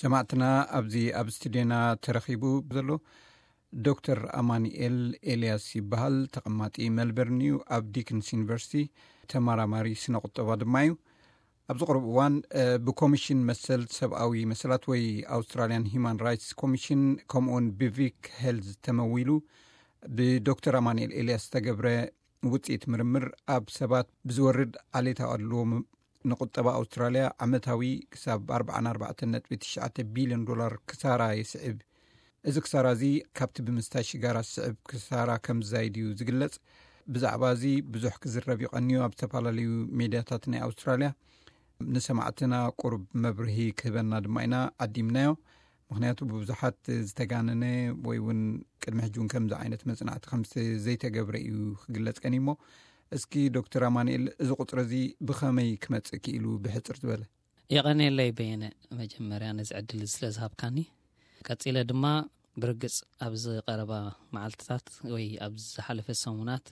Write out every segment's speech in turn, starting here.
ሰማዕትና፣ ኣብዚ ኣብ ስቱድዮና ተረኺቡ ዘሎ ዶክተር ኣማኑኤል ኤልያስ ይበሃል። ተቐማጢ ሜልበርን እዩ። ኣብ ዲክንስ ዩኒቨርሲቲ ተመራማሪ ስነ ቁጠባ ድማ እዩ። ኣብዚ ቅሩብ እዋን ብኮሚሽን መሰል ሰብኣዊ መሰላት ወይ ኣውስትራሊያን ሂማን ራይትስ ኮሚሽን፣ ከምኡውን ብቪክ ሄልዝ ተመዊሉ ብዶክተር ኣማኑኤል ኤልያስ ዝተገብረ ውፅኢት ምርምር፣ ኣብ ሰባት ብዝወርድ ዓሌታዊ ኣድልዎ ንቁጠባ ኣውስትራልያ ዓመታዊ ክሳብ ኣርባዓን ኣርባዕተን ነጥቢ ትሽዓተ ቢልዮን ዶላር ክሳራ ይስዕብ። እዚ ክሳራ እዚ ካብቲ ብምስታይ ሽጋራ ዝስዕብ ክሳራ ከም ዝዛይድ እዩ ዝግለጽ። ብዛዕባ እዚ ብዙሕ ክዝረብ ይቐንዩ። ኣብ ዝተፈላለዩ ሜድያታት ናይ ኣውስትራልያ ንሰማዕትና ቁሩብ መብርሂ ክህበና ድማ ኢና ዓዲምናዮ። ምኽንያቱ ብብዙሓት ዝተጋነነ ወይ እውን ቅድሚ ሕጂ እውን ከምዚ ዓይነት መጽናዕቲ ከም ዘይተገብረ እዩ ክግለጽ ቀንዩ። እሞ እስኪ ዶክተር ኣማኑኤል፣ እዚ ቁጽሪ እዚ ብኸመይ ክመጽእ ክኢሉ? ብሕጽር ዝበለ። የቐንየለይ በየነ፣ መጀመርያ ነዚ ዕድል ስለ ዝሃብካኒ። ቀጺለ ድማ ብርግጽ ኣብዚ ቀረባ መዓልትታት ወይ ኣብ ዝሓለፈ ሰሙናት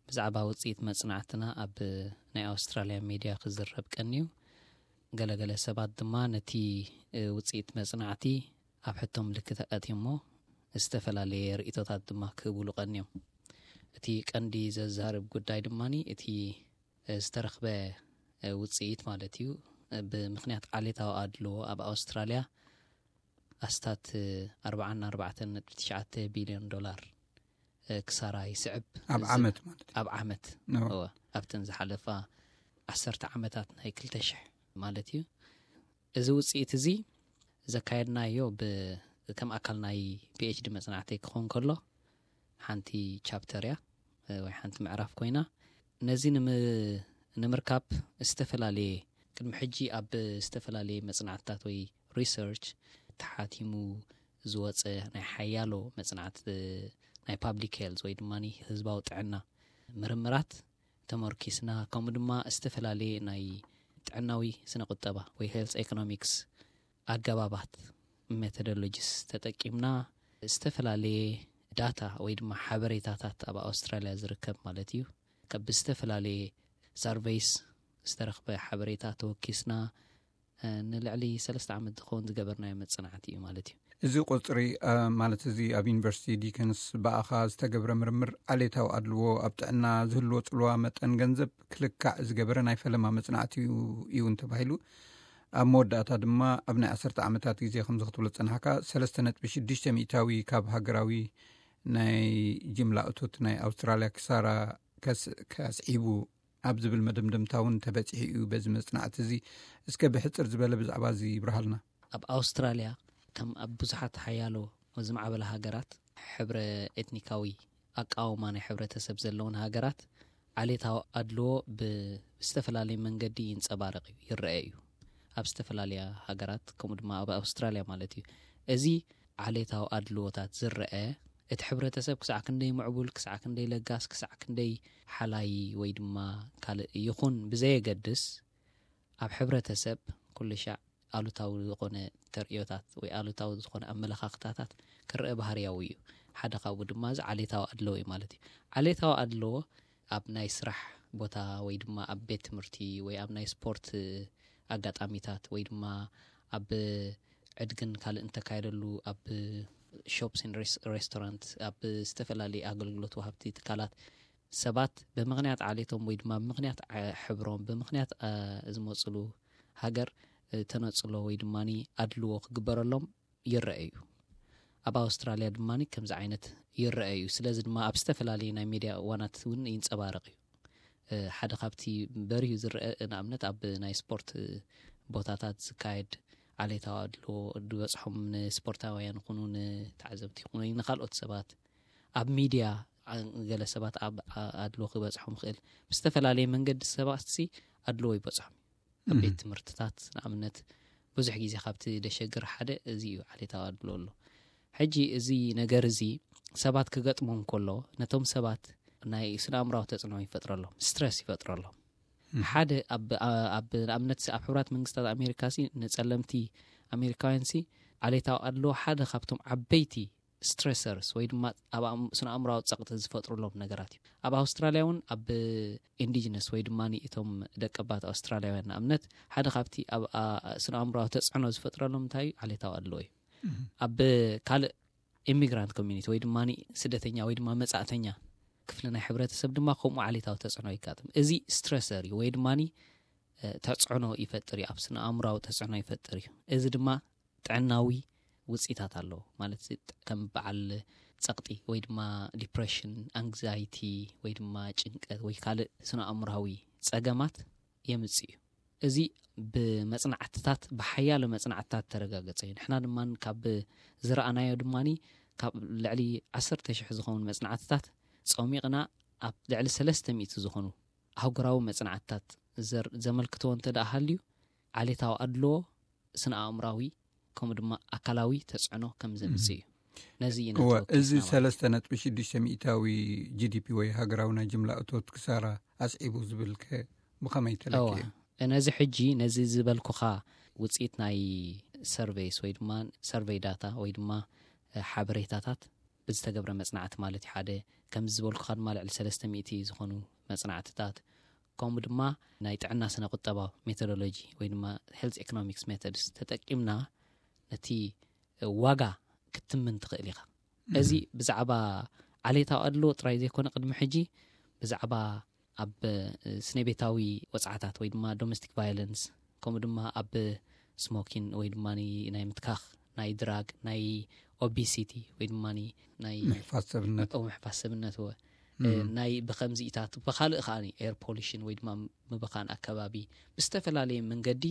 ብዛዕባ ውጽኢት መጽናዕትና ኣብ ናይ ኣውስትራልያ ሜድያ ክዝረብ ቀንዩ። ገለገለ ሰባት ድማ ነቲ ውጽኢት መጽናዕቲ ኣብ ሕቶ ምልክት ኣእትዮሞ ዝተፈላለየ ርእይቶታት ድማ ክህብሉ ቀንዮም። እቲ ቀንዲ ዘዛርብ ጉዳይ ድማ እቲ ዝተረኽበ ውጽኢት ማለት እዩ። ብምኽንያት ዓሌታዊ ኣድልዎ ኣብ ኣውስትራልያ ኣስታት ኣርባዓን ኣርባዕተን ነጥቢ ትሽዓተ ቢልዮን ዶላር ክሳራ ይስዕብ። ኣብ ዓመት ማለት እዩ። ኣብ ዓመት። እወ፣ ኣብተን ዝሓለፋ ዓሰርተ ዓመታት ናይ ክልተ ሽሕ ማለት እዩ። እዚ ውጽኢት እዚ ዘካየድናዮ ብ-፣ ከም ኣካል ናይ ፒ ኤች ዲ መጽናዕተይ ክኸውን ከሎ፣ ሓንቲ ቻፕተር እያ፣ እ፣ ወይ ሓንቲ ምዕራፍ ኮይና፣ ነዚ ንም-፣ ንምርካብ ዝተፈላለየ፣ ቅድሚ ሕጂ ኣብ ዝተፈላለየ መጽናዕትታት ወይ ሪሰርች ተሓቲሙ ዝወጸ ናይ ሓያሎ መጽናዕቲ ናይ ፓብሊክ ሄልዝ ወይ ድማ ህዝባዊ ጥዕና ምርምራት ተመርኪስና፣ ከምኡ ድማ ዝተፈላለየ ናይ ጥዕናዊ ስነ ቁጠባ ወይ ሄልዝ ኢኮኖሚክስ ኣገባባት፣ ሜቶዶሎጂስ ተጠቂምና፣ ዝተፈላለየ ዳታ ወይ ድማ ሓበሬታታት ኣብ ኣውስትራልያ ዝርከብ ማለት እዩ። ካብ ዝተፈላለየ ሰርቬይስ ዝተረኽበ ሓበሬታ ተወኪስና፣ እ፣ ንልዕሊ ሰለስተ ዓመት ዝኸውን ዝገበርናዮ መጽናዕቲ እዩ ማለት እዩ። እዚ ቁጽሪ፣ እ፣ ማለት እዚ ኣብ ዩኒቨርሲቲ ዲከንስ ብኣኻ ዝተገብረ ምርምር፣ ዓሌታዊ ኣድልዎ ኣብ ጥዕና ዝህልዎ ጽልዋ መጠን ገንዘብ ክልካዕ ዝገበረ ናይ ፈለማ መጽናዕቲ እዩ፣ እዩ እንተባሂሉ፣ ኣብ መወዳእታ ድማ ኣብ ናይ ዓሰርተ ዓመታት ግዜ ከምዚ ክትብሎ ዝጸናሕካ፣ ሰለስተ ነጥቢ ሽዱሽተ ሚእታዊ ካብ ሃገራዊ ናይ ጅምላ እቶት ናይ ኣውስትራልያ ክሳራ ከስ-፣ ከስዒቡ ኣብ ዝብል መደምደምታ እውን ተበጺሑ እዩ በዚ መጽናዕቲ እዚ። እስከ ብሕጽር ዝበለ ብዛዕባ እዚ ይብርሃልና። ኣብ ኣውስትራልያ፣ ከም ኣብ ብዙሓት ሓያሎ ዝማዕበላ ሃገራት፣ ሕብረ ኤትኒካዊ ኣቃውማ ናይ ሕብረተሰብ ዘለውን ሃገራት፣ ዓሌታዊ ኣድልዎ ብ-፣ ብዝተፈላለየ መንገዲ ይንጸባረቕ እዩ፣ ይረአ እዩ። ኣብ ዝተፈላለያ ሃገራት፣ ከምኡ ድማ ኣብ ኣውስትራልያ ማለት እዩ። እዚ ዓሌታዊ ኣድልዎታት ዝረአ፣ እቲ ሕብረተሰብ ክሳዕ ክንደይ ምዕቡል፣ ክሳዕ ክንደይ ለጋስ፣ ክሳዕ ክንደይ ሓላይ ወይ ድማ ካልእ ይኹን ብዘየገድስ፣ ኣብ ሕብረተሰብ ኩሉ ሻዕ ኣሉታዊ ዝኾነ ተርእዮታት ወይ ኣሉታዊ ዝኾነ ኣመለኻኽታታት ክረአ ባህርያዊ እዩ። ሓደ ካብኡ ድማ እዚ ዓሌታዊ ኣድልዎ እዩ ማለት እዩ። ዓሌታዊ ኣድልዎ ኣብ ናይ ስራሕ ቦታ ወይ ድማ ኣብ ቤት ትምህርቲ ወይ ኣብ ናይ ስፖርት ኣጋጣሚታት ወይ ድማ ኣብ ዕድግን ካልእ እንተካየደሉ፣ ኣብ ሾፕስን ሬስ-፣ ሬስቶራንት፣ ኣብ ዝተፈላለዩ ኣገልግሎት ወሃብቲ ትካላት ሰባት ብምኽንያት ዓሌቶም ወይ ድማ ብምኽንያት ዓ-፣ ሕብሮም፣ ብምኽንያት፣ አ፣ ዝመጽሉ ሃገር፣ እ፣ ተነጽሎ ወይ ድማ ኣድልዎ ክግበረሎም ይረአ እዩ። ኣብ ኣውስትራልያ ድማ ከምዚ ዓይነት ይረአ እዩ። ስለዚ ድማ ኣብ ዝተፈላለዩ ናይ ሜድያ እዋናት እውን ይንጸባረቕ እዩ። እ፣ ሓደ ካብቲ በሪሁ ዝረአ፣ ንኣብነት ኣብ ናይ ስፖርት ቦታታት ዝካየድ ዓሌታዊ ኣድልዎ ዝበጽሖም ንስፖርታውያን ይኹኑ ንተዓዘብቲ ይኹኑ ንኻልኦት ሰባት፣ ኣብ ሚድያ፣ ዓ-፣ ገለ ሰባት ኣብ ኣ-፣ ኣድልዎ ክበጽሖም ይኽእል። ብዝተፈላለየ መንገዲ ሰባትሲ ኣድልዎ ይበጽሖም እዩ። ኣብ ቤት ትምህርትታት ንኣብነት ብዙሕ ግዜ ካብቲ ደሸግር ሓደ እዚ እዩ፣ ዓሌታዊ ኣድልዎ ኣሎ። ሕጂ እዚ ነገር እዚ ሰባት ክገጥሞም ከሎ፣ ነቶም ሰባት ናይ ስነ ኣእምራዊ ተጽዕኖ ይፈጥረሎም፣ ስትረስ ይፈጥረሎም። ሓደ ኣብ፣ ኣብ ንኣብነት ኣብ ሕቡራት መንግስታት ኣሜሪካ ሲ ንጸለምቲ ኣሜሪካውያን ሲ ዓሌታዊ ኣድልዎ ሓደ ካብቶም ዓበይቲ stressors ወይ ድማ ኣብ ኣም- ስነ ኣእምሮዊ ጸቕጢ ዝፈጥሩሎም ነገራት እዩ። ኣብ ኣውስትራልያ እውን ኣብ indigenous ወይ ድማ እቶም ደቀባት ኣውስትራልያውያን ንኣብነት ሓደ ካብቲ ኣብ ኣ- ስነ ኣእምሮዊ ተጽዕኖ ዝፈጥረሎም እንታይ እዩ? ዓሌታዊ ኣድልዎ እዩ። ኣብ ካልእ immigrant community ወይ ድማ ስደተኛ ወይ ድማ መጻእተኛ ክፍሊ ናይ ሕብረተሰብ ድማ ከምኡ ዓሌታዊ ተጽዕኖ ይጋጥም። እዚ stressor እዩ ወይ ድማ ተጽዕኖ ይፈጥር እዩ፣ ኣብ ስነ ኣእምሮዊ ተጽዕኖ ይፈጥር እዩ። እዚ ድማ ጥዕናዊ ውጽኢታት ኣለዎ። ማለት ከም በዓል ጸቕጢ ወይ ድማ depression፣ anxiety ወይ ድማ ጭንቀት ወይ ካልእ ስነ ኣእምሮዊ ጸገማት የምጽእ እዩ። እዚ ብመጽናዕትታት፣ ብሓያሎ መጽናዕትታት ተረጋገጸ እዩ። ንሕና ድማ ካብ ዝረኣናዮ ድማ ካብ ልዕሊ ዓሰርተ ሽሕ ዝኸውን መጽናዕትታት ጸሚቕና ኣብ ልዕሊ ሰለስተ ሚእቲ ዝኾኑ ኣህጉራዊ መጽናዕትታት ዘር- ዘመልክትዎ እንተ ደኣ ሃልዩ ዓሌታዊ ኣድልዎ ስነ ኣእምራዊ ከምኡ ድማ ኣካላዊ ተጽዕኖ ከም ዘምጽእ እዩ። ነዚ እዩ እወ፣ ነቲ ወኪል እዚ ስናማ። ሰለስተ ነጥቢ ሽዱሽተ ሚእታዊ ጂ ዲ ፒ ወይ ሃገራዊ ናይ ጅምላ እቶት ክሳራ ኣስዒቡ ዝብል ከ ብኸመይ ተለክየ? እወ፣ ነዚ ሕጂ ነዚ ዝበልኩኻ ውጽኢት ናይ ሰርቬይስ ወይ ድማ ሰርቬይ ዳታ ወይ ድማ ሓበሬታታት ብዝተገብረ መጽናዕቲ ማለት እዩ። ሓደ ከምዚ ዝበልኩኻ ድማ ልዕሊ ሰለስተ ሚእቲ ዝኾኑ መጽናዕትታት ከምኡ ድማ ናይ ጥዕና ስነ ቁጠባዊ ሜቶዶሎጂ ወይ ድማ health economics methods ተጠቂምና ነቲ ዋጋ ክትምን ትኽእል ኢኻ። እዚ ብዛዕባ ዓሌታዊ ኣድልዎ ጥራይ ዘይኮነ ቅድሚ ሕጂ ብዛዕባ ኣብ ስነ ቤታዊ ወጽዓታት ወይ ድማ domestic violence ከምኡ ድማ ኣብ smoking ወይ ድማ ናይ ምትካኽ ናይ ድራግ ናይ obesity ወይ ድማ ናይ ምሕፋዝ ሰብነት ምሕፋዝ ሰብነት ወ ናይ ብኸምዚኢታት ብኻልእ ከዓኒ air pollution ወይ ድማ ምብኻን ኣከባቢ ብዝተፈላለየ መንገዲ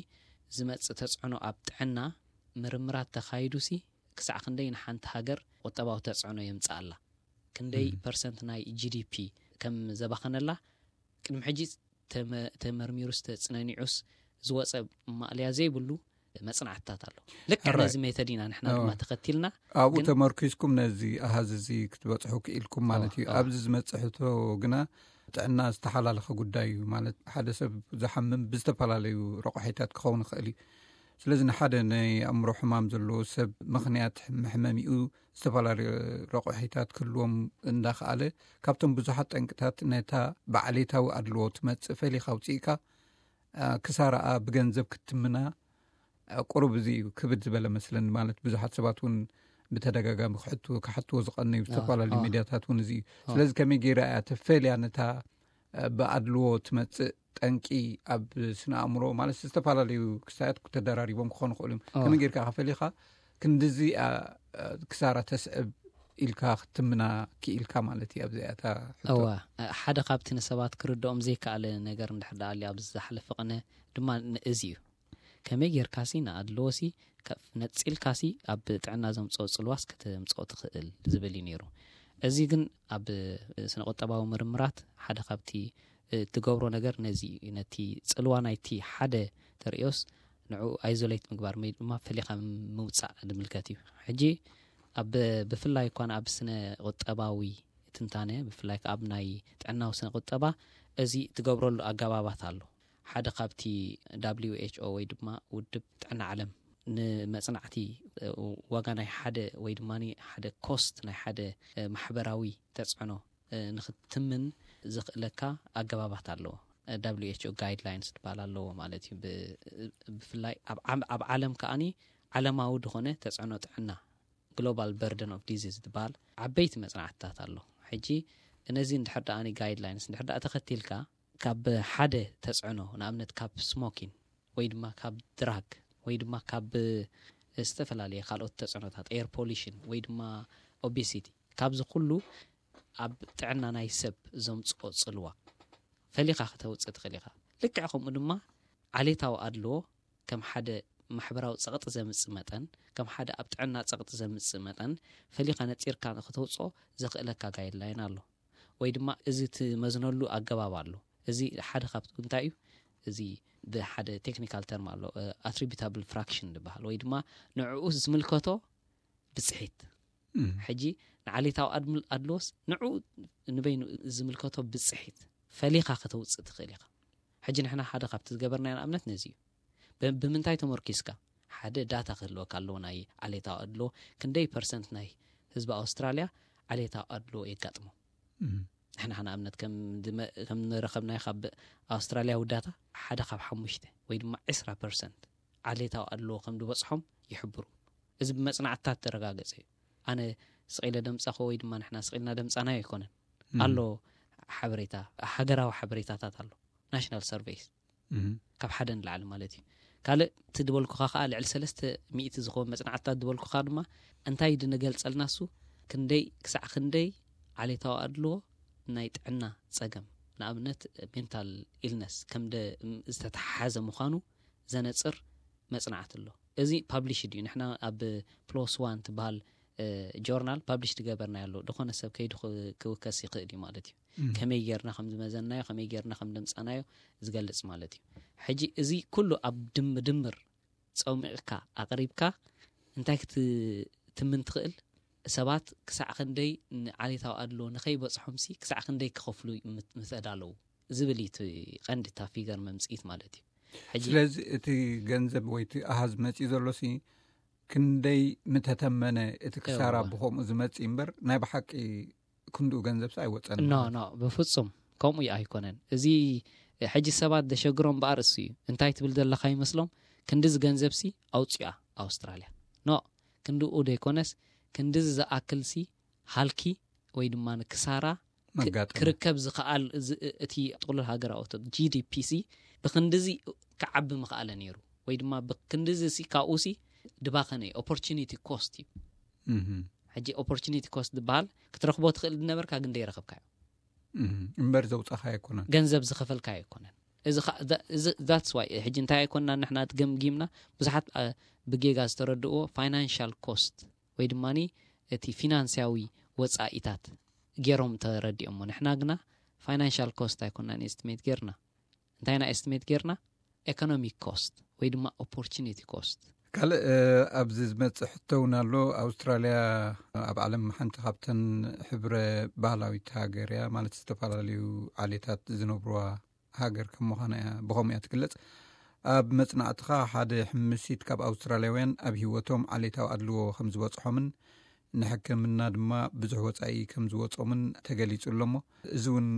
ዝመጽእ ተጽዕኖ ኣብ ጥዕና ምርምራት ተኻይዱ ሲ ክሳዕ ክንደይ ንሓንቲ ሃገር ቁጠባዊ ተጽዕኖ የምጽኣላ ክንደይ ፐርሰንት ናይ ጂ ዲ ፒ ከም ዘባኸነላ ቅድሚ ሕጂ ተመርሚሩስ ተጽነኒዑስ ዝወፀ ማእለያ ዘይብሉ መጽናዕትታት ኣሎ። ልክዕ ነዚ ሜተድ ኢና ንሕና ድማ ተኸቲልና ኣብኡ ተመርኪዝኩም ነዚ ኣሃዝ እዚ ክትበፅሑ ክኢልኩም ማለት እዩ። ኣብዚ ዝመፅእ ሕቶ ግና ጥዕና ዝተሓላለኸ ጉዳይ እዩ። ማለት ሓደ ሰብ ዝሓምም ብዝተፈላለዩ ረቑሒታት ክኸውን ይኽእል እዩ። ስለዚ ንሓደ ናይ ኣእምሮ ሕማም ዘለዎ ሰብ ምኽንያት መሕመሚኡ ዝተፈላለዩ ረቑሒታት ክህልዎም እንዳኸኣለ ካብቶም ብዙሓት ጠንቅታት ነታ ብዓሌታዊ ኣድልዎ ትመፅእ ፈሊኻ ኣውፅእካ ክሳራኣ ብገንዘብ ክትምና ቁሩብ እዚ እዩ ክብድ ዝበለ መስለኒ። ማለት ብዙሓት ሰባት እውን ብተደጋጋሚ ክሕቱ ክሓትዎ ዝቐነዩ ዝተፈላለዩ ሚድያታት እውን እዚ እዩ። ስለዚ ከመይ ገይራ እያ ተፈልያ ነታ ብኣድልዎ ትመፅእ ጠንቂ ኣብ ስነ ኣእምሮ ማለት ዝተፈላለዩ ክስታያት ተደራሪቦም ክኾኑ ክእሉ እዮም። ከመይ ጌርካ ከፈሊኻ ክንድዚ ክሳራ ተስዕብ ኢልካ ክትምና ክኢልካ ማለት እዩ። ኣብዚኣታ እዋ ሓደ ካብቲ ንሰባት ክርድኦም ዘይከኣለ ነገር እንድሕር ደኣ ኣሎ ኣብዚ ዝሓለፈ ቅነ ድማ እዚ እዩ። ከመይ ጌርካሲ ንኣድልዎሲ ነፂልካሲ ኣብ ጥዕና ዘምፅኦ ፅልዋስ ከተምፅኦ ትኽእል ዝብል እዩ ነይሩ። እዚ ግን ኣብ ስነ ቁጠባዊ ምርምራት ሓደ ካብቲ ትገብሮ ነገር ነዚ እዩ። ነቲ ፅልዋ ናይቲ ሓደ ተርእዮስ ንዑ ኣይዞሌት ምግባር ወይ ድማ ፈሊኻ ምውፃእ ዝምልከት እዩ። ሕጂ ኣብ ብፍላይ እኳ ኣብ ስነ ቁጠባዊ ትንታነ ብፍላይ ኣብ ናይ ጥዕናዊ ስነ ቁጠባ እዚ ትገብረሉ ኣገባባት ኣሎ። ሓደ ካብቲ W H O ወይ ድማ ውድብ ጥዕና ዓለም ንመጽናዕቲ ዋጋ ናይ ሓደ ወይ ድማ ሓደ ኮስት ናይ ሓደ ማሕበራዊ ተጽዕኖ ንክትምን ዘኽእለካ ኣገባባት ኣለዎ። W H O guidelines ዝበሃል ኣለዎ ማለት እዩ። ብፍላይ ኣብ ዓለም ከኣኒ ዓለማዊ ዝኾነ ተጽዕኖ ጥዕና global burden of disease ዝበሃል ዓበይቲ መጽናዕትታት ኣሎ። ሕጂ እነዚ እንድሕር ደኣ guidelines እንድሕር ደኣ ተኸቲልካ ካብ ሓደ ተጽዕኖ ንኣብነት ካብ ስሞኪን ወይ ድማ ካብ ድራግ ወይ ድማ ካብ ዝተፈላለየ ካልኦት ተጽዕኖታት air pollution ወይ ድማ obesity ካብዚ ኩሉ ኣብ ጥዕና ናይ ሰብ ዘምጽኦ ጽልዋ ፈሊኻ ከተውጽእ ትኽእል ኢኻ። ልክዕ ከምኡ ድማ ዓሌታዊ ኣድልዎ ከም ሓደ ማሕበራዊ ጸቕጢ ዘምጽእ መጠን ከም ሓደ ኣብ ጥዕና ጸቕጢ ዘምጽእ መጠን ፈሊኻ ነጺርካ ንክተውጽኦ ዘኽእለካ guideline ኣሎ ወይ ድማ እዚ ትመዝነሉ ኣገባብ ኣሎ። እዚ ሓደ ካብቲ እንታይ እዩ እዚ ብሓደ technical term ኣሎ attributable fraction ዝበሃል ወይ ድማ ንዕኡ ዝምልከቶ ብጽሒት። ሕጂ ንዓሌታዊ ኣድልዎስ ንዑ ንበይኑ ዝምልከቶ ብጽሒት ፈሊኻ ከተውፅእ ትኽእል ኢኻ። ሕጂ ንሕና ሓደ ካብቲ ዝገበርናዮ ንኣብነት ነዚ እዩ። ብምንታይ ተመርኪስካ ሓደ ዳታ ክህልወካ ኣለዎ ናይ ዓሌታዊ ኣድልዎ ክንደይ ፐርሰንት ናይ ህዝቢ ኣውስትራልያ ዓሌታዊ ኣድልዎ የጋጥሞ። ንሕና ንኣብነት ከም ንረኸብናዮ ካብ ኣውስትራልያ ውዳታ ሓደ ካብ ሓሙሽተ ወይ ድማ ዕስራ ፐርሰንት ዓሌታዊ ኣድልዎ ከም ዝበፅሖም ይሕብሩ። እዚ ብመፅናዕትታት ተረጋገፀ እዩ። ኣነ ስቂለ ደምፃኹ ወይ ድማ ንሕና ስቂልና ደምፃናዮ ኣይኮነን። ኣሎ ሓበሬታ፣ ሃገራዊ ሓበሬታታት ኣሎ፣ ናሽናል ሰርቬይስ ካብ ሓደ ንላዕሊ ማለት እዩ። ካልእ እቲ ዝበልኩኻ ከዓ ልዕሊ ሰለስተ ሚእቲ ዝኸውን መፅናዕትታት ዝበልኩኻ ድማ እንታይ ድንገልፀልና እሱ ክንደይ ክሳዕ ክንደይ ዓሌታዊ ኣድልዎ ናይ ጥዕና ፀገም ንኣብነት ሜንታል ኢልነስ ከም ዝተተሓሓዘ ምዃኑ ዘነፅር መፅናዕቲ ኣሎ። እዚ ፓብሊሽድ እዩ። ንሕና ኣብ ፕሎስ ዋን ትበሃል ጆርናል ፓብሊሽ ትገበርና ኣሎ። ዝኾነ ሰብ ከይዱ ክውከስ ይኽእል እዩ ማለት እዩ። ከመይ ጌርና ከም ዝመዘናዮ፣ ከመይ ጌርና ከም ደምፃናዮ ዝገልፅ ማለት እዩ። ሕጂ እዚ ኩሉ ኣብ ድምድምር ፀሚቕካ ኣቕሪብካ እንታይ ክትትምን ትኽእል? ሰባት ክሳዕ ክንደይ ንዓሌታዊ ኣድሎ ንኸይበፅሖምሲ ክሳዕ ክንደይ ክኸፍሉ ምተዳለዉ ዝብል እዩ እቲ ቀንዲ እታ ፊገር መምፅኢት ማለት እዩ። ሕጂ ስለዚ እቲ ገንዘብ ወይ እቲ ኣሃዝ መፂኡ ዘሎሲ ክንደይ ምተተመነ እቲ ክሳራ ብኸምኡ ዝመፅእ እምበር ናይ ብሓቂ ክንድኡ ገንዘብሲ ኣይወፀን ኖ ኖ ብፍፁም ከምኡ እዩ ኣይኮነን። እዚ ሕጂ ሰባት ዘሸግሮም በኣር እሱ እዩ። እንታይ ትብል ዘለካ ይመስሎም? ክንድዚ ገንዘብሲ ኣውፅኣ ኣውስትራልያ ኖ ክንድኡ ዘይኮነስ ክንድዚ ዝኣክልሲ ሃልኪ ወይ ድማ ንክሳራ መጋጠመ። ክርከብ ዝኸኣል እዚ- እቲ ጥቕሉል ሃገራዊ እቶት ጂ ዲ ፒ ሲ ብክንድዚ ክዓቢ ምኽኣለ ነይሩ ወይ ድማ ብክንድዚ ሲ ካብኡ ሲ ድባኸነ እዩ ኦፖርቹኒቲ ኮስት እዩ። እህ፣ ሕጂ ኦፖርቹኒቲ ኮስት ዝበሃል ክትረኽቦ ትኽእል ዝነበርካ ግን ደይረኸብካዮ። እህ፣ እምበር ዘውፃኻ ኣይኮነን። ገንዘብ ዝኸፈልካዮ ኣይኮነን። እዚ ኸ- ዛ- እዚ- that's why ሕጂ እንታይ ኣይኮንና ንሕና ገምጊምና ብዙሓት አ፣ ብጌጋ ዝተረድእዎ ፋይናንሻል ኮስት ወይ ድማ እቲ ፊናንስያዊ ወፃኢታት ገይሮም ተረዲኦሞ። ንሕና ግና ፋይናንሻል ኮስት ኣይኮንናን ኤስቲሜት ጌርና። እንታይ ኢና ኤስቲሜት ጌርና? ኤኮኖሚክ ኮስት ወይ ድማ ኦፖርቹኒቲ ኮስት። ካልእ እ፣ ኣብዚ ዝመፅእ ሕቶ እውን ኣሎ። ኣውስትራልያ ኣብ ዓለም ሓንቲ ካብተን ሕብረ ባህላዊት ሃገር እያ፣ ማለት ዝተፈላለዩ ዓሌታት ዝነብሩዋ ሃገር ከም ምዃና እያ፣ ብኸምኡ እያ ትግለጽ። ኣብ መጽናዕትኻ ሓደ ሕምሲት ካብ ኣውስትራልያውያን ኣብ ህይወቶም ዓሌታዊ ኣድልዎ ከም ዝበጽሖምን ንሕክምና ድማ ብዙሕ ወጻኢ ከም ዝወጾምን ተገሊጹ ኣሎ እሞ፣ እዚ እውን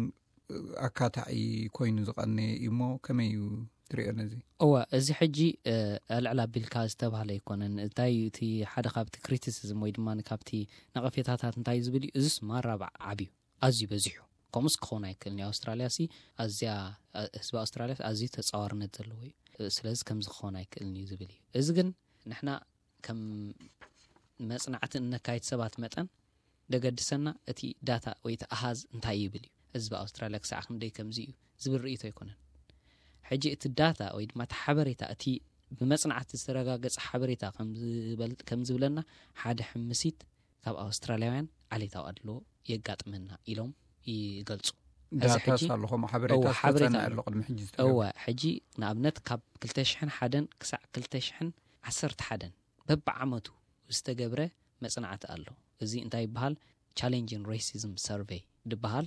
ኣካታዒ ኮይኑ ዝቐነየ እዩ እሞ፣ ከመይ እዩ ትሪኦ ነዚ? እወ፣ እዚ ሕጂ እ፣ ኣልዕል ኣቢልካ ዝተባህለ ኣይኮነን። እንታይ እዩ እቲ ሓደ ካብቲ ክሪቲሲዝም ወይ ድማ ካብቲ ነቐፌታታት እንታይ እዩ ዝብል እዩ? እዚስ ማራ ዓብዩ ኣዝዩ በዚሑ። ከምኡስ ክኸውን ኣይክእልን እዩ። ኣውስትራልያ ሲ ኣዝያ ህዝቢ ኣውስትራልያ ኣዝዩ ተጻዋርነት ዘለዎ እዩ። ስለዚ ከምዚ ክኸውን ኣይክእልን እዩ ዝብል እዩ። እዚ ግን ንሕና ከም መጽናዕቲ እነካይድ ሰባት መጠን ደገድሰና እቲ ዳታ ወይ እቲ ኣሃዝ እንታይ ይብል እዩ። ህዝቢ ኣውስትራልያ ክሳዕ ክንደይ ከምዚ እዩ ዝብል ርእይቶ ኣይኮነን። ሕጂ እቲ ዳታ ወይ ድማ እቲ ሓበሬታ እቲ ብመጽናዕቲ ዝተረጋገጸ ሓበሬታ ከም ዝበል- ከም ዝብለና ሓደ ሕምሲት ካብ ኣውስትራልያውያን ዓሌታዊ ኣድልዎ የጋጥመና ኢሎም ይገልጹ። እዚ ዳታስ ሕጂ- ኣሎ ከምኡ ሓበሬታ እወ፣ ሓበሬታ ዝተጸንዐ ኣሎ። ኣሎ ቅድሚ ሕጂ ዝተገብረ? እወ፣ ሕጂ ንኣብነት ካብ ክልተ ሽሕን ሓደን ክሳዕ ክልተ ሽሕን ዓሰርተ ሓደን በብዓመቱ ዝተገብረ መጽናዕቲ ኣሎ። እዚ እንታይ ይበሃል? ቻሌንጅን ሬሲዝም ሰርቬይ ዝበሃል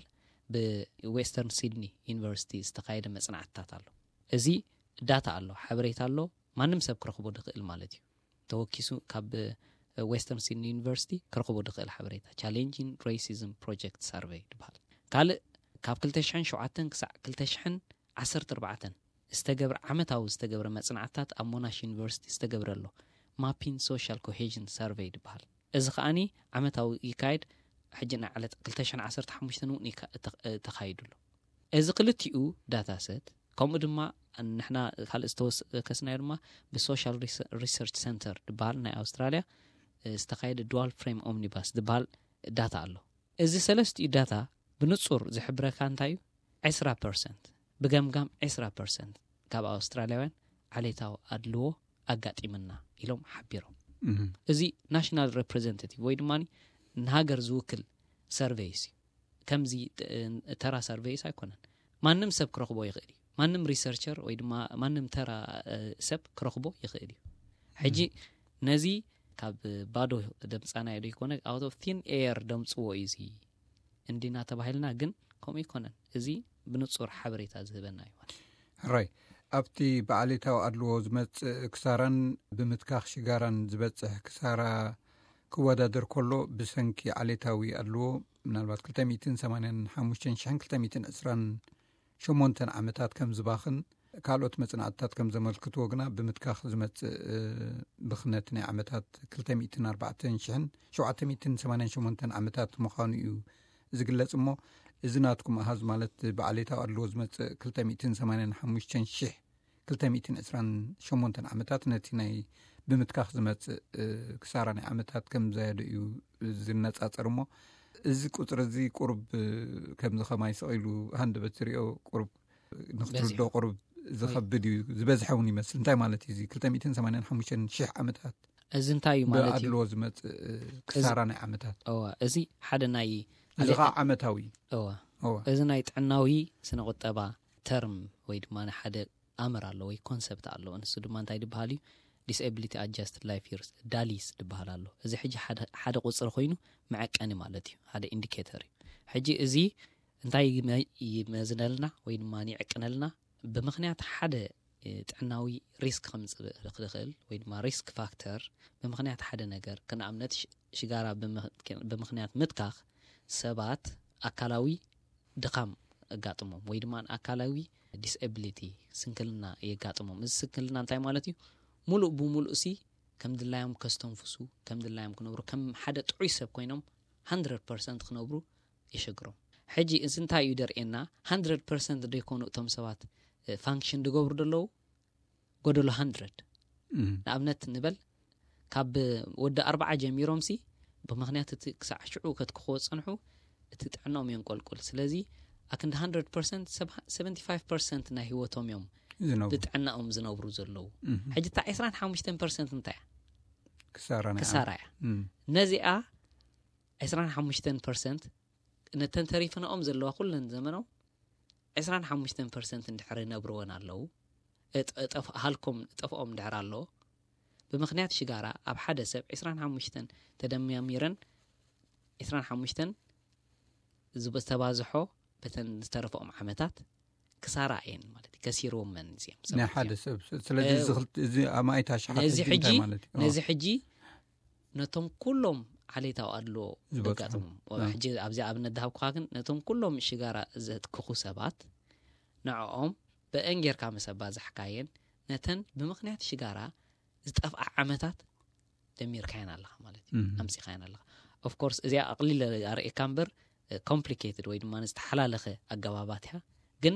ብዌስተርን ሲድኒ ዩኒቨርሲቲ ዝተኻየደ መጽናዕትታት ኣሎ። እዚ ዳታ ኣሎ፣ ሓበሬታ ኣሎ፣ ማንም ሰብ ክረኽቦ ድኽእል ማለት እዩ። ተወኪሱ ካብ ዌስተርን ሲድኒ ዩኒቨርሲቲ ክረኽቦ ድኽእል ሓበሬታ ቻሌንጂን ሬሲዝም ፕሮጀክት ሳርቨይ ዝበሃል። ካልእ ካብ ክልተ ሽሕን ሸውዓተን ክሳዕ ክልተ ሽሕን ዓሰርተ ኣርባዕተን ዝተገብረ ዓመታዊ ዝተገብረ መጽናዕትታት ኣብ ሞናሽ ዩኒቨርሲቲ ዝተገብረ ኣሎ ማፒን ሶሻል ኮሄዥን ሳርቨይ ዝበሃል። እዚ ከኣኒ ዓመታዊ ይካየድ። ሕጂ ናይ ዕለት ክልተ ሽሕን ዓሰርተ ሓሙሽተን እውን ይካ- ተኽ- ተኻይዱ ኣሎ። እዚ ክልቲኡ ዳታ ሰት ከምኡ ድማ ንሕና ካልእ ዝተወከስናዮ ድማ ብሶሻል ሪሰ- ሪሰርች ሰንተር ዝበሃል ናይ ኣውስትራልያ ዝተኻየደ ዱዋል ፍሬም ኦምኒባስ ዝበሃል ዳታ ኣሎ። እዚ ሰለስቲኡ ዳታ ብንጹር ዝሕብረካ እንታይ እዩ? ዕስራ ፐርሰንት ብገምጋም ዕስራ ፐርሰንት ካብ ኣውስትራልያውያን ዓሌታዊ ኣድልዎ ኣጋጢምና ኢሎም ሓቢሮም። እዚ ናሽናል ሬፕሬዘንታቲቭ ወይ ድማ ንሃገር ዝውክል ሰርቬይስ እዩ። ከምዚ ተራ ሰርቬይስ ኣይኮነን። ማንም ሰብ ክረኽቦ ይኽእል እዩ። ማንም ሪሰርቸር ወይ ድማ ማንም ተራ ሰብ ክረኽቦ ይኽእል እዩ። ሕጂ ነዚ ካብ ባዶ ደምፃናዮ ዶ ይኮነ? ኣውት ኦፍ ቲን ኤር ደምፅዎ እዩ እዚ እንዲና ተባሂልና፣ ግን ከምኡ ይኮነን። እዚ ብንጹር ሓበሬታ ዝህበና እዩ ማለት እዩ። ሕራይ፣ ኣብቲ ብዓሌታዊ ኣድልዎ ዝመጽእ ክሳራን ብምትካኽ ሽጋራን ዝበጽሕ ክሳራ ክወዳደር ከሎ ብሰንኪ ዓሌታዊ ኣድልዎ ምናልባት ክልተ ሚእትን ሰማንያን ሓሙሽተን ሽሕን ክልተ ሚእትን ዕስራን ሸሞንተን ዓመታት ከም ዝባኽን ካልኦት መጽናዕትታት ከም ዘመልክትዎ ግና ብምትካኽ ዝመጽእ ብኽነት ናይ ዓመታት ክልተ ሚእትን ኣርባዕተን ሽሕን ሸውዓተ ሚእትን ሰማንያን ሸሞንተን ዓመታት ምዃኑ እዩ ዝግለጽ። እሞ እዚ ናትኩም ኣሃዝ ማለት ብዓሌታዊ ኣድልዎ ዝመጽእ ክልተ ሚእትን ሰማንያን ሓሙሽተን ሽሕ ክልተ ሚእትን ዕስራን ሸሞንተን ዓመታት ነቲ ናይ ብምትካኽ ዝመጽእ ክሳራ ናይ ዓመታት ከም ዘያዶ እዩ ዝነጻጸር። እሞ እዚ ቁጽሪ እዚ ቁሩብ ከምዚ ከማይ ስቕ ኢሉ ሃንደበት ዝሪኦ ቁሩብ ንክትርዶ ቁሩብ ዝኸብድ እዩ፣ ዝበዝሐ እውን ይመስል። እንታይ ማለት እዩ እዚ ክልተ ሚእትን ሰማንያን ሓሙሽተን ሽሕ ዓመታት? እዚ እንታይ እዩ ማለት እዩ? ብኣድልዎ ዝመጽእ ክሳራ ናይ ዓመታት። እዋ፣ እዚ ሓደ ናይ እዚ ከዓ ዓመታዊ እዩ። እዋ፣ እዋ። እዚ ናይ ጥዕናዊ ስነ ቁጠባ ተርም ወይ ድማ ሓደ ኣምር ኣሎ ወይ ኮንሰፕት ኣሎ። ንሱ ድማ እንታይ ዝበሃል እዩ? Disability Adjusted Life Years፣ ዳሊስ ዝበሃል ኣሎ። እዚ ሕጂ ሓደ ሓደ ቁፅሪ ኮይኑ መዐቀኒ ማለት እዩ፣ ሓደ ኢንዲኬተር እዩ። ሕጂ እዚ እንታይ ይመ- ይመዝነልና ወይ ድማ ይዕቅነልና? ብምኽንያት ሓደ እ፣ ጥዕናዊ ሪስክ ከምፅእ ዝኽእል ወይ ድማ ሪስክ ፋክተር ብምኽንያት ሓደ ነገር፣ ክንኣብነት ሽ- ሽጋራ ብምኽ- ብምኽንያት ምትካኽ ሰባት ኣካላዊ ድኻም የጋጥሞም ወይ ድማ ኣካላዊ ዲስኤቢሊቲ፣ ስንክልና የጋጥሞም። እዚ ስንክልና እንታይ ማለት እዩ? ሙሉእ ብሙሉእ ሲ ከም ድላዮም ከስተንፍሱ፣ ከም ድላዮም ክነብሩ፣ ከም ሓደ ጥዑይ ሰብ ኮይኖም ሃንድረድ ፐርሰንት ክነብሩ የሸግሮም። ሕጂ እዚ እንታይ እዩ ደርእየና? ሃንድረድ ፐርሰንት ዶ ይኮኑ እቶም ሰባት ፋንክሽን ዝገብሩ ዘለዉ? ጎደሎ ሃንድረድ። ንኣብነት ንበል፣ ካብ ወዲ ኣርባዓ ጀሚሮም ሲ ብምኽንያት እቲ ክሳዕ ሽዑ ከትክኽዎ ዝጸንሑ እቲ ጥዕናኦም የንቆልቁል። ስለዚ ኣክንዲ ሃንድረድ ፐርሰንት፣ ሰቨንቲ ፋይቭ ፐርሰንት ናይ ህይወቶም እዮም ዝነብሩ። ብጥዕናኦም ዝነብሩ ዘለዉ። ሕጂ እታ ዕስራን ሓሙሽተን ፐርሰንት እንታይ እያ? ክሳራ ናይ ክሳራ እያ። እም። ነዚኣ ዕስራን ሓሙሽተን ፐርሰንት ነተን ተሪፈንኦም ዘለዋ ኩለን ዘመኖም ዕስራን ሓሙሽተን ፐርሰንት እንድሕር ይነብርወን ኣለዉ፣ እጥ- እጠፍ- ሃልኮም ጠፍኦም እንድሕር ኣለዎ፣ ብምኽንያት ሽጋራ ኣብ ሓደ ሰብ ዕስራን ሓሙሽተን ተደማሚረን ዕስራን ሓሙሽተን ዝተባዝሖ በተን ዝተረፈኦም ዓመታት ክሳራ እየን ማለት እዩ። ከሲርዎም መን እዚኦም ናይ ሰባት ሓደ እዚኦም። ሰብ። ስለዚ እ፣ እዚ ክልተ- እዚ ኣማኢት ኣሽሓት ነዚ ህዝቢ ሕጂ እንታይ ማለት እዩ? ነዚ ሕጂ ነቶም ኩሎም ዓሌታዊ ኣድልዎ ዝበፅሑ። ዘጋጥሞም እ። ሕጂ ኣብዚ ኣብነት ዝሃብኩኻ ግን ነቶም ኩሎም ሽጋራ ዘትክኹ ሰባት ንዕኦም ብእን ጌርካ ምስ ኣባዛሕካየን ነተን ብምኽንያት ሽጋራ ዝጠፍኣ ዓመታት ደሚርካየን ኣለኻ ማለት እዩ። እም። ኣምፂኻየን ኣለኻ። ኦፍኮርስ እዚኣ ኣቕሊለ ኣርእየካ እምበር ኮምፕሊኬትድ ወይ ድማ ዝተሓላለኸ ኣገባባት እያ፣ ግን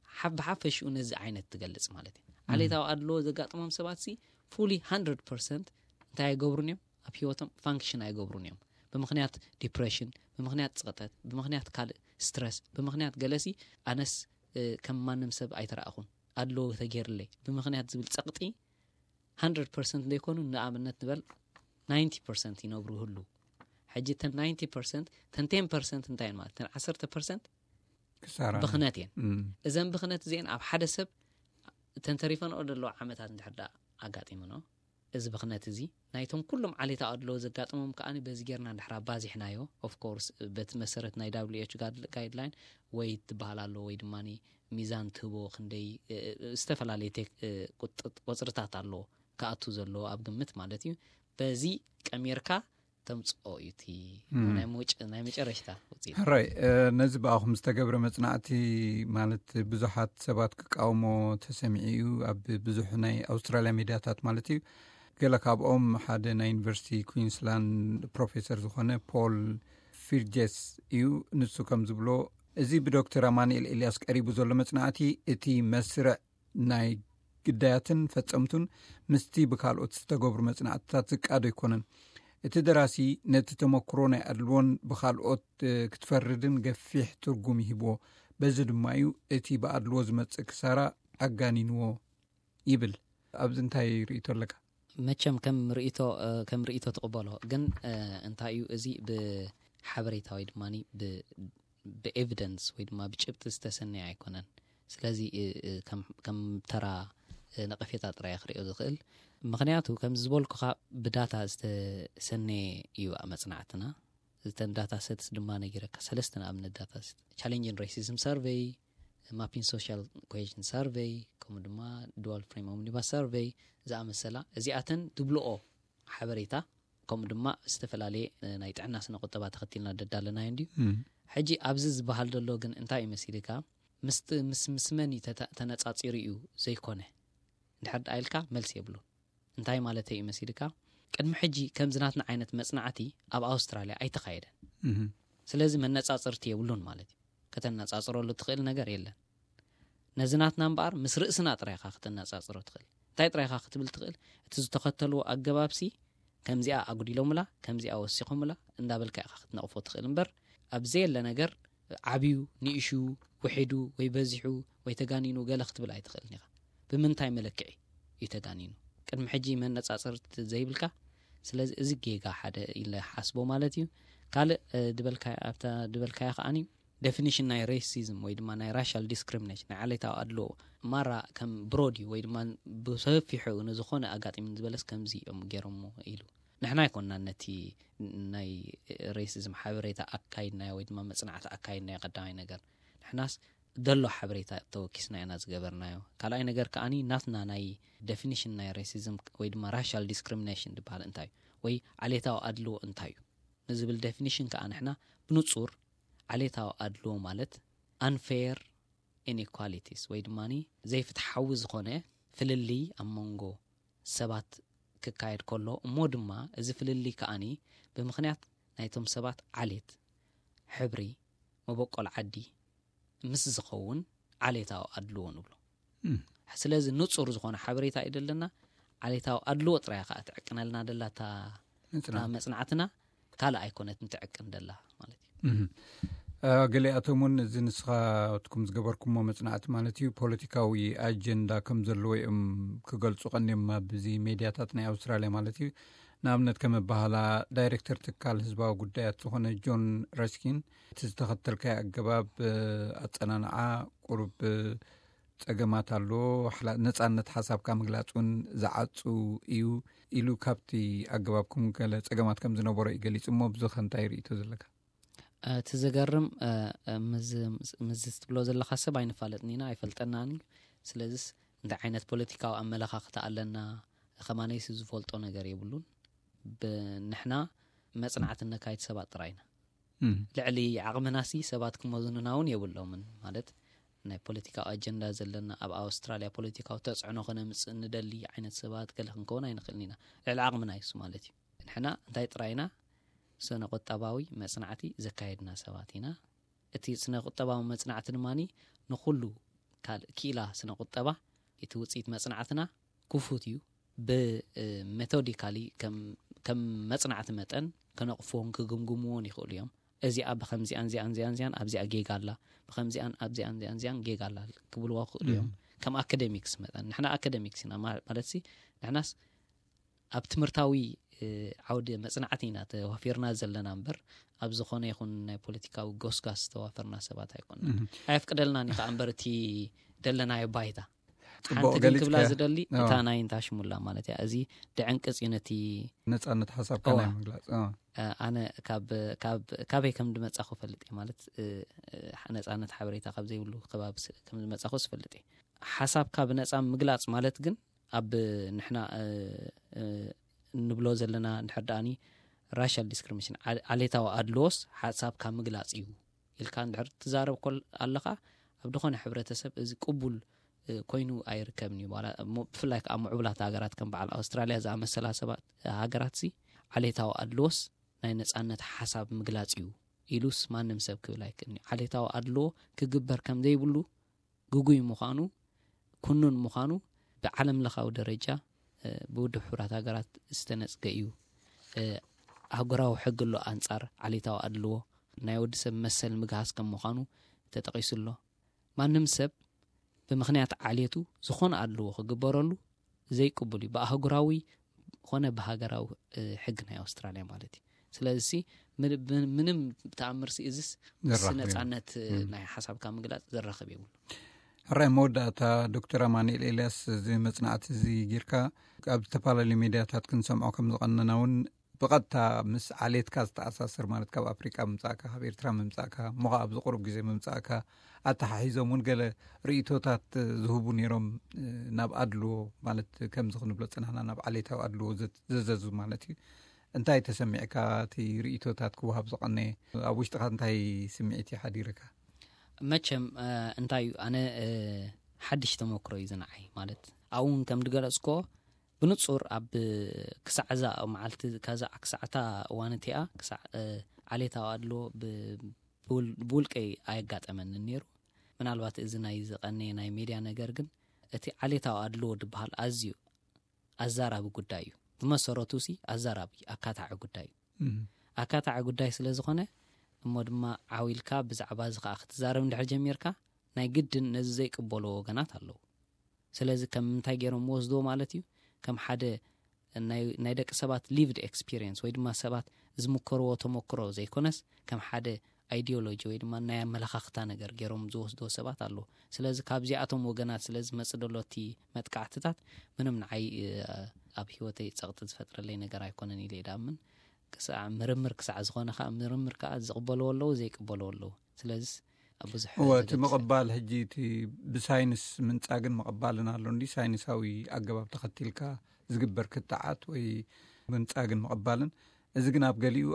ሓ- ብሓፈሽኡ ነዚ ዓይነት ትገልጽ ማለት እዩ። ዓሌታዊ ኣድልዎ ዘጋጥሞም ሰባት ሲ ፉሊ ሃንድረድ ፐርሰንት እንታይ ኣይገብሩን እዮም? ኣብ ህይወቶም ፋንክሽን ኣይገብሩን እዮም። ብምኽንያት ዲፕሬሽን፣ ብምኽንያት ጽቕጠት፣ ብምኽንያት ካልእ ስትረስ፣ ብምኽንያት ገለሲ ኣነስ እ፣ ከም ማንም ሰብ ኣይተረኣኹን፣ ኣድልዎ ተገይርለይ ብምኽንያት ዝብል ጸቕጢ ሃንድረድ ፐርሰንት ዘይኮኑ፣ ንኣብነት ንበል ናይንቲ ፐርሰንት ይነብሩ ይህሉ። ሕጂ እተን ናይንቲ ፐርሰንት፣ እተን ቴን ፐርሰንት እንታይ እየን ማለት? እተን ዓሰርተ ፐርሰንት ክሳራ ብኽነት እየን። እም። እዘን ብኽነት እዚአን ኣብ ሓደ ሰብ እተን ተሪፈንኦ ዘለዋ ዓመታት እንድሕር ደኣ ኣጋጢምኖ፣ እዚ ብኽነት እዚ ናይቶም ኩሎም ዓሌታዊ ኣድልዎ ዘጋጥሞም ከኣ በዚ ጌርና እንድሕር ኣባዚሕናዮ፣ ኦፍኮርስ በቲ መሰረት ናይ ዳብሊው ኤች ጋይድላይን ወይ ትበሃል ኣሎ ወይ ድማ ሚዛን ትህቦ ክንደይ እ፣ እ፣ ዝተፈላለዩ ቴክ- እ፣ ቁጥ- ቁፅርታት ኣሎ ክኣቱ ዘለዎ ኣብ ግምት ማለት እዩ። በዚ ቀሚርካ ተምፅኦ እዩ እቲ እም። ናይ መውጭ- ናይ መጨረሽታ ውፅኢት። ሕራይ እ፣ ነዚ ብኣኹም ዝተገብረ መጽናዕቲ ማለት ብዙሓት ሰባት ክቃወሞ ተሰሚዑ እዩ ኣብ ብዙሕ ናይ ኣውስትራልያ ሚድያታት ማለት እዩ። ገለ ካብኦም ሓደ ናይ ዩኒቨርሲቲ ኩዊንስላንድ ፕሮፌሰር ዝኾነ ፖል ፊርጀስ እዩ። ንሱ ከም ዝብሎ፣ እዚ ብዶክተር ኣማኑኤል ኤልያስ ቀሪቡ ዘሎ መጽናዕቲ እቲ መስርዕ ናይ ግዳያትን ፈጸምቱን ምስቲ ብካልኦት ዝተገብሩ መጽናዕትታት ዝቃዶ ኣይኮነን። እቲ ደራሲ ነቲ ተመክሮ ናይ ኣድልዎን ብካልኦት እ፣ ክትፈርድን ገፊሕ ትርጉም ይህብዎ። በዚ ድማ እዩ እቲ ብኣድልዎ ዝመጽእ ክሳራ ኣጋኒንዎ ይብል። ኣብዚ እንታይ ርእይቶ ኣለካ? መቸም ከም ርእይቶ እ፣ ከም ርእይቶ ትቕበሎ፣ ግን እ፣ እንታይ እዩ፣ እዚ ብሓበሬታ ወይ ድማ ብኤቪደንስ ወይ ድማ ብጭብጢ ዝተሰነየ ኣይኮነን። ስለዚ እ፣ እ፣ ከም- ከም ተራ እ፣ ነቐፌታ ጥራይ ክርእዮ ዝኽእል። ምኽንያቱ ከም ዝበልኩኻ ብዳታ ዝተሰነየ እዩ መጽናዕትና። እተን ዳታ ሰትስ ድማ ነጊረካ፣ ሰለስተ ንኣብነት ዳታ ሰት፣ ቻሌንጅን ሬሲዝም ሰርቬይ፣ ማፒን ሶሻል ኮሄዥን ሰርቬይ፣ ከምኡ ድማ ዱዋል ፍሬም ኦምኒባስ ሰርቬይ ዝኣመሰላ፣ እዚኣተን ድብልኦ ሓበሬታ ከምኡ ድማ ዝተፈላለየ ናይ ጥዕና ስነ ቁጠባ ተኸቲልና ደዳለናዮ እንድዩ። ሕጂ ኣብዚ ዝበሃል ዘሎ ግን እንታይ እዩ መሲልካ? ምስ ምስ ምስ መን እዩ ተነጻጺሩ እዩ ዘይኮነ እንድሕር ደኣ ኢልካ መልሲ የብሉን። እንታይ ማለት እዩ መሲልካ? ቅድሚ ሕጂ ከምዚ ናትና ዓይነት መጽናዕቲ ኣብ ኣውስትራልያ ኣይተኻየደን። ስለዚ መነጻጽርቲ የብሉን ማለት እዩ። ከተነጻጽረሉ ትኽእል ነገር የለን። ነዚ ናትና እምበኣር ምስ ርእስና ጥራይኻ ከተነጻጽሮ ትኽእል። እንታይ ጥራይኻ ክትብል ትኽእል? እቲ ዝተኸተልዎ ኣገባብሲ ከምዚኣ ኣጉዲሎምላ፣ ከምዚኣ ወሲኾምላ እንዳበልካ ኢኻ ክትነቕፎ ትኽእል እምበር፣ ኣብ ዘየለ ነገር ዓብዩ፣ ንእሹ፣ ውሒዱ ወይ በዚሑ ወይ ተጋኒኑ ገለ ክትብል ኣይትኽእልን ኢኻ። ብምንታይ መለክዒ እዩ ተጋኒኑ? ቅድሚ ሕጂ መነጻጽርቲ ዘይብልካ። ስለዚ እዚ ጌጋ ሓደ ኢለ ሓስቦ ማለት እዩ። ካልእ ድበልካ ኣብታ ድበልካያ ከዓኒ ዴፊኒሽን ናይ ሬሲዝም ወይ ድማ ናይ ራሻል ዲስክሪሚኔሽን፣ ናይ ዓሌታዊ ኣድልዎ ማራ ከም ብሮድ እዩ ወይ ድማ ብሰፊሑ ንዝኾነ ኣጋጢሙን ዝበለስ ከምዚ እዮም ገይሮሞ ኢሉ። ንሕና ኣይኮንና ነቲ ናይ ሬሲዝም ሓበሬታ ኣካይድናዮ ወይ ድማ መጽናዕቲ ኣካይድናዮ። ቀዳማይ ነገር ንሕናስ ደሎ ሓበሬታ ተወኪስና ኢና ዝገበርናዮ። ካልኣይ ነገር ከዓኒ ናትና ናይ ዴፊኒሽን ናይ ሬሲዝም ወይ ድማ ራሻል ዲስክሪሚኔሽን ዝበሃል እንታይ እዩ ወይ ዓሌታዊ ኣድልዎ እንታይ እዩ ንዝብል ዴፊኒሽን ከዓ ንሕና ብንጹር ዓሌታዊ ኣድልዎ ማለት unfair inequalities ወይ ድማ ዘይፍትሓዊ ዝኾነ ፍልልይ ኣብ መንጎ ሰባት ክካየድ ከሎ፣ እሞ ድማ እዚ ፍልልይ ከዓኒ ብምኽንያት ናይቶም ሰባት ዓሌት፣ ሕብሪ፣ መበቆል ዓዲ ምስ ዝኸውን ዓሌታዊ ኣድልዎ ንብሎ። ስለዚ ንጹር ዝኾነ ሓበሬታ እዩ ደለና። ዓሌታዊ ኣድልዎ ጥራይ ከዓ ትዕቅነልና ደላ እታ መጽናዕትና፣ ካልእ ኣይኮነትን ትዕቅን ደላ ማለት እዩ። ገሊኣቶም እውን እዚ ንስኻትኩም ዝገበርኩሞ መጽናዕቲ ማለት እዩ ፖለቲካዊ ኣጀንዳ ከም ዘለዎ እዮም ክገልጹ ቀንዮም ኣብ እዚ ሜድያታት ናይ ኣውስትራልያ ማለት እዩ። ንኣብነት ከም ኣባህላ ዳይሬክተር ትካል ህዝባዊ ጉዳያት ዝኾነ ጆን ረስኪን እቲ ዝተኸተልካዮ ኣገባብ ኣጸናንዓ ቁሩብ ጸገማት ኣሎ፣ ነጻነት ሓሳብካ ምግላጽ እውን ዝዓጹ እዩ ኢሉ ካብቲ ኣገባብኩም ገለ ጸገማት ከም ዝነበሮ እዩ ገሊጹ። እሞ ብዝኸ እንታይ ርእይቶ ዘለካ? እቲ ዘገርም ምዚ ትብሎ ዘለኻ ሰብ ኣይንፋለጥን ኢና፣ ኣይፈልጠናን እዩ። ስለዚስ እንታይ ዓይነት ፖለቲካዊ ኣመለኻኽታ ኣለና ከማነይሲ ዝፈልጦ ነገር የብሉን። ንሕና መጽናዕቲ ነካይድ ሰባት ጥራይ ኢና። ልዕሊ ዓቕምናሲ ሰባት ክመዝኑና እውን የብሎምን። ማለት ናይ ፖለቲካዊ ኣጀንዳ ዘለና፣ ኣብ ኣውስትራልያ ፖለቲካዊ ተጽዕኖ ከነምጽእ ንደሊ ዓይነት ሰባት ገለ ክንከውን ኣይንኽእልን ኢና። ልዕሊ ዓቕምና ይሱ ማለት እዩ። ንሕና እንታይ ጥራይ ኢና? ስነ ቁጠባዊ መጽናዕቲ ዘካየድና ሰባት ኢና። እቲ ስነ ቁጠባዊ መጽናዕቲ ድማ ንኹሉ ካልእ ክኢላ ስነ ቁጠባ እቲ ውጽኢት መጽናዕትና ክፉት እዩ። ብሜቶዲካሊ ከም መጽናዕቲ መጠን ከነቕፍዎን ክግምግምዎን ይኽእሉ እዮም። እዚኣ ብከምዚኣን ዚኣን ዚኣን ዚኣን ኣብዚኣ ጌጋ ኣላ፣ ብከምዚኣን ኣብዚኣን ዚኣን ዚኣን ጌጋ ኣላ ክብልዎ ክኽእሉ እዮም። ከም ኣካደሚክስ መጠን ንሕና ኣካደሚክስ ኢና ማለት ሲ ንሕናስ ኣብ ትምህርታዊ ዓውዲ መጽናዕቲ ኢና ተዋፊርና ዘለና እምበር ኣብ ዝኾነ ይኹን ናይ ፖለቲካዊ ጎስጋስ ዝተዋፈርና ሰባት ኣይኮንና። ኣየፍቅደልናን እዩ ከዓ እምበር እቲ ደለናዮ ባይታ። ሓንቲ ግን ክብላ ዝደሊ እታ ናይ እንታሽሙላ ማለት እያ። እዚ ድዕንቅጽ እዩ ነቲ ነጻነት ሓሳብካ ናይ ምግላጽ። ኣነ ካበይ ከም ዝመጻኹ ፈልጥ እየ ማለት ነጻነት ሓበሬታ ካብ ዘይብሉ ከባቢ ከም ዝመጻኹ ዝፈልጥ እየ። ሓሳብካ ብነጻ ምግላጽ ማለት ግን ኣብ ንሕና ንብሎ ዘለና እንድሕር ደኣኒ ራሻል ዲስክሪሚኔሽን ዓሌታዊ ኣድልዎስ ሓሳብካ ምግላጽ እዩ ኢልካ እንድሕር ትዛረብ ኮል ኣለኻ ኣብ ዝኾነ ሕብረተሰብ እዚ ቅቡል ኮይኑ ኣይርከብን እዩ። ብፍላይ ከዓ ምዕቡላት ሃገራት ከም በዓል ኣውስትራልያ ዝኣመሰላ ሰባት ሃገራት ሲ ዓሌታዊ ኣድልዎስ ናይ ነጻነት ሓሳብ ምግላጽ እዩ ኢሉስ ማንም ሰብ ክብል ኣይክእልን እዩ። ዓሌታዊ ኣድልዎ ክግበር ከም ዘይብሉ ግጉይ ምዃኑ ኩኑን ምዃኑ ብዓለም ለኻዊ ደረጃ ብውድብ ሕቡራት ሃገራት ዝተነጽገ እዩ። ኣህጉራዊ ሕጊ ኣሎ ኣንጻር ዓሌታዊ ኣድልዎ ናይ ወዲ ሰብ መሰል ምግሃስ ከም ምዃኑ ተጠቒሱ ኣሎ። ማንም ሰብ ብምኽንያት ዓሌቱ ዝኾነ ኣድልዎ ክግበረሉ ዘይቅቡል እዩ ብኣህጉራዊ ኾነ ብሃገራዊ ሕጊ ናይ ኣውስትራልያ ማለት እዩ። ስለዚ ምንም ብተኣምር ሲ እዚስ ምስ ነጻነት ናይ ሓሳብካ ምግላጽ ዘራኽብ የብሉ። ሕራይ መወዳእታ ዶክተር ኣማኑኤል ኤልያስ እዚ መጽናዕቲ እዚ ጌርካ ኣብ ዝተፈላለዩ ሜድያታት ክንሰምዖ ከም ዝቐነና እውን ብቐጥታ ምስ ዓሌትካ ዝተኣሳሰር ማለት ካብ ኣፍሪቃ ምምጻእካ ካብ ኤርትራ ምምጻእካ እሞ ከዓ ኣብዚ ቁሩብ ግዜ ምምጻእካ ኣተሓሒዞም እውን ገለ ርእይቶታት ዝህቡ ነይሮም ናብ ኣድልዎ ማለት ከምዚ ክንብሎ ጽናሕና ናብ ዓሌታዊ ኣድልዎ ዘዘዙ ማለት እዩ። እንታይ ተሰሚዕካ? እቲ ርእይቶታት ክወሃብ ዝቐነየ ኣብ ውሽጥኻ እንታይ ስምዒት ይሓዲርካ? መቸም እንታይ እዩ፣ ኣነ ሓድሽ ተመክሮ እዩ ዝንዓይ። ማለት ኣብኡን ከም ድገለጽኮ ብንጹር ኣብ ክሳዕ እዛ መዓልቲ ከዛ ክሳዕታ እዋን እቲኣ ክሳዕ ዓሌታዊ ኣድሎ ብውልቀይ ኣየጋጠመንን ነይሩ። ምናልባት እዚ ናይ ዝቐነየ ናይ ሜድያ ነገር ግን እቲ ዓሌታዊ ኣድሎ ድበሃል ኣዝዩ ኣዛራቢ ጉዳይ እዩ። ብመሰረቱ ሲ ኣዛራቢ ኣካታዒ ጉዳይ እዩ። ኣካታዒ ጉዳይ ስለ ዝኾነ እሞ ድማ ዓው ኢልካ ብዛዕባ እዚ ከዓ ክትዛረብ እንድሕር ጀሚርካ ናይ ግድን ነዚ ዘይቅበሎ ወገናት ኣለዉ። ስለዚ ከም ምንታይ ገይሮም ወስዶ ማለት እዩ? ከም ሓደ ናይ ደቂ ሰባት lived experience ወይ ድማ ሰባት ዝምከርዎ ተመክሮ ዘይኮነስ ከም ሓደ ኣይዲዮሎጂ ወይ ድማ ናይ ኣመለኻኽታ ነገር ገይሮም ዝወስዶ ሰባት ኣለዉ። ስለዚ ካብዚኣቶም ወገናት ስለ ዝመጽእ ደሎ እቲ መጥቃዕትታት ምንም ንዓይ ኣብ ህይወተይ ጸቕጢ ዝፈጥረለይ ነገር ኣይኮነን ኢለ ይዳምን። ክሳዕ ምርምር ክሳዕ ዝኾነ ከዓ ምርምር ከዓ ዝቕበልዎ ኣለዉ ዘይቅበልዎ ኣለዉ። ስለዚ ኣብ ብዙሕ እወ እቲ ምቕባል ሕጂ እቲ ብሳይንስ ምንጻግን ምቕባልን ኣሎ እንዲ ሳይንሳዊ ኣገባብ ተኸቲልካ ዝግበር ክትዓት ወይ ምንጻግን ምቕባልን። እዚ ግን ኣብ ገሊኡ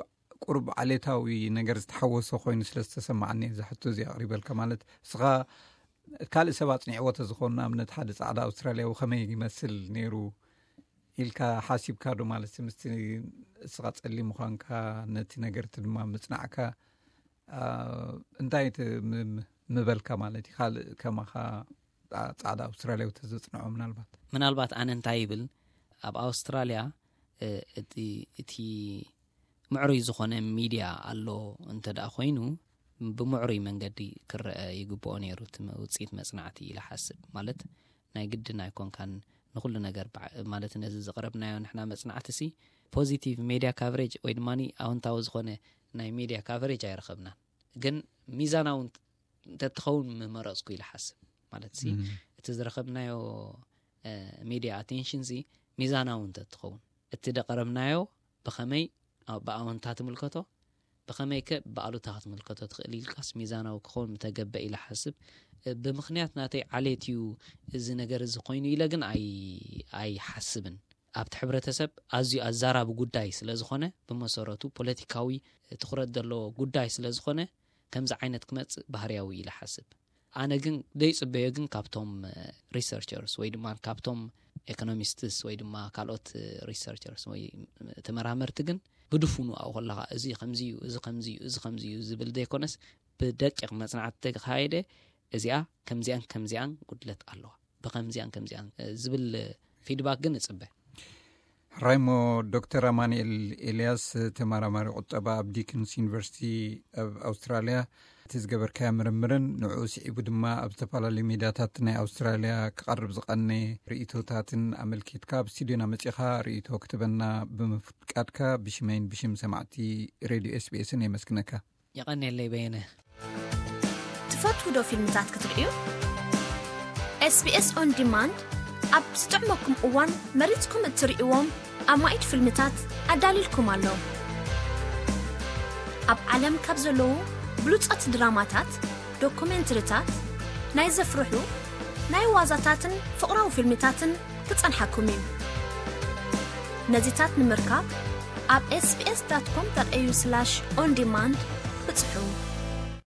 ቁሩብ ዓሌታዊ ነገር ዝተሓወሶ ኮይኑ ስለ ዝተሰማዓኒ እዚ ሕቶ እዚ ኣቕሪበልካ። ማለት እስኻ ካልእ ሰብ ኣጽኒዕዎ ተዝኸውን ንኣብነት ሓደ ጻዕዳ ኣውስትራልያዊ ከመይ ይመስል ነይሩ ኢልካ ሓሲብካ ዶ? ማለት ምስቲ እስኻ ጸሊም ምዃንካ ነቲ ነገርቲ ድማ ምጽናዕካ እንታይ ምበልካ ማለት እዩ? ካልእ ከማኻ ጻዕዳ ኣውስትራልያዊ ተዘጽንዖ ምናልባት? ምናልባት ኣነ እንታይ ይብል፣ ኣብ ኣውስትራልያ እቲ ምዕሩይ ዝኾነ ሚድያ ኣሎ እንተ ደኣ ኮይኑ ብምዕሩይ መንገዲ ክረአ ይግብኦ ነይሩ እቲ ውፅኢት መፅናዕቲ ኢለ ሓስብ። ማለት ናይ ግድን ኣይኮንካን ንኩሉ ነገር ማለት ነዚ ዝቕረብናዮ ንሕና መፅናዕቲ ሲ positive media coverage ወይ ድማ ኣውንታዊ ዝኾነ ናይ ሚድያ ካቨሬጅ ኣይረኸብናን። ግን ሚዛናዊ እንተትኸውን ምመረፅኩ ኢለ ሓስብ። ማለት ሲ እቲ ዝረኸብናዮ ሚድያ ኣቴንሽን ሲ ሚዛናዊ እንተትኸውን እቲ ደቀረብናዮ ብኸመይ ብኣወንታ ትምልከቶ ብኸመይ ከ ብኣሉታ ክትምልከቶ ትኽእል ኢልካስ ሚዛናዊ ክኸውን ምተገበ ኢለ ሓስብ። ብምኽንያት ናተይ ዓሌት እዩ እዚ ነገር እዚ ኮይኑ ኢለ ግን ኣይሓስብን። ኣብቲ ሕብረተሰብ ኣዝዩ ኣዛራቢ ጉዳይ ስለ ዝኾነ ብመሰረቱ ፖለቲካዊ ትኹረት ዘለዎ ጉዳይ ስለ ዝኾነ ከምዚ ዓይነት ክመፅእ ባህርያዊ ኢለ ሓስብ። ኣነ ግን ዘይፅበዮ ግን ካብቶም ሪሰርቸርስ ወይ ድማ ካብቶም ኤኮኖሚስትስ ወይ ድማ ካልኦት ሪሰርቸርስ ወይ ተመራመርቲ ግን ብድፉኑ ኣብኡ ከለካ እዚ ከምዚ እዩ እዚ ከምዚ እዩ እዚ ከምዚ እዩ ዝብል ዘይኮነስ ብደቂቕ መፅናዕቲ ተካየደ እዚኣ ከምዚኣን ከምዚኣን ጉድለት ኣለዋ ብከምዚኣን ከምዚኣን ዝብል ፊድባክ ግን እፅበ። ሕራይሞ ዶክተር ኣማንኤል ኤልያስ ተመራማሪ ቁጠባ ኣብ ዲክንስ ዩኒቨርሲቲ ኣብ ኣውስትራልያ እቲ ዝገበርካዮ ምርምርን ንዕኡ ስዒቡ ድማ ኣብ ዝተፈላለዩ ሚድያታት ናይ ኣውስትራልያ ክቐርብ ዝቐነ ርእይቶታትን ኣመልኪትካ ኣብ ስቱድዮና መጺኻ ርእይቶ ክትበና ብምፍቃድካ ብሽመይን ብሽም ሰማዕቲ ሬድዮ ኤስቢኤስን የመስግነካ። የቐንየለይ በየነ። ትፈትዉ ዶ ፊልምታት ክትርእዩ? ኤስቢኤስ ኦን ዲማንድ ኣብ ዝጥዕመኩም እዋን መሪጽኩም እትርእይዎም ኣማኢት ፊልምታት ኣዳልይልኩም ኣሎ። ኣብ ዓለም ካብ ዘለዉ ብሉጻት ድራማታት፣ ዶኩሜንትሪታት፣ ናይ ዘፍርሑ፣ ናይ ዋዛታትን ፍቕራዊ ፊልምታትን ክጸንሓኩም እዩ። ነዚታት ንምርካብ ኣብ ኤስቢኤስ ዳት ኮም ዳት ኤዩ ስላሽ ኦን ዲማንድ ብጽሑ።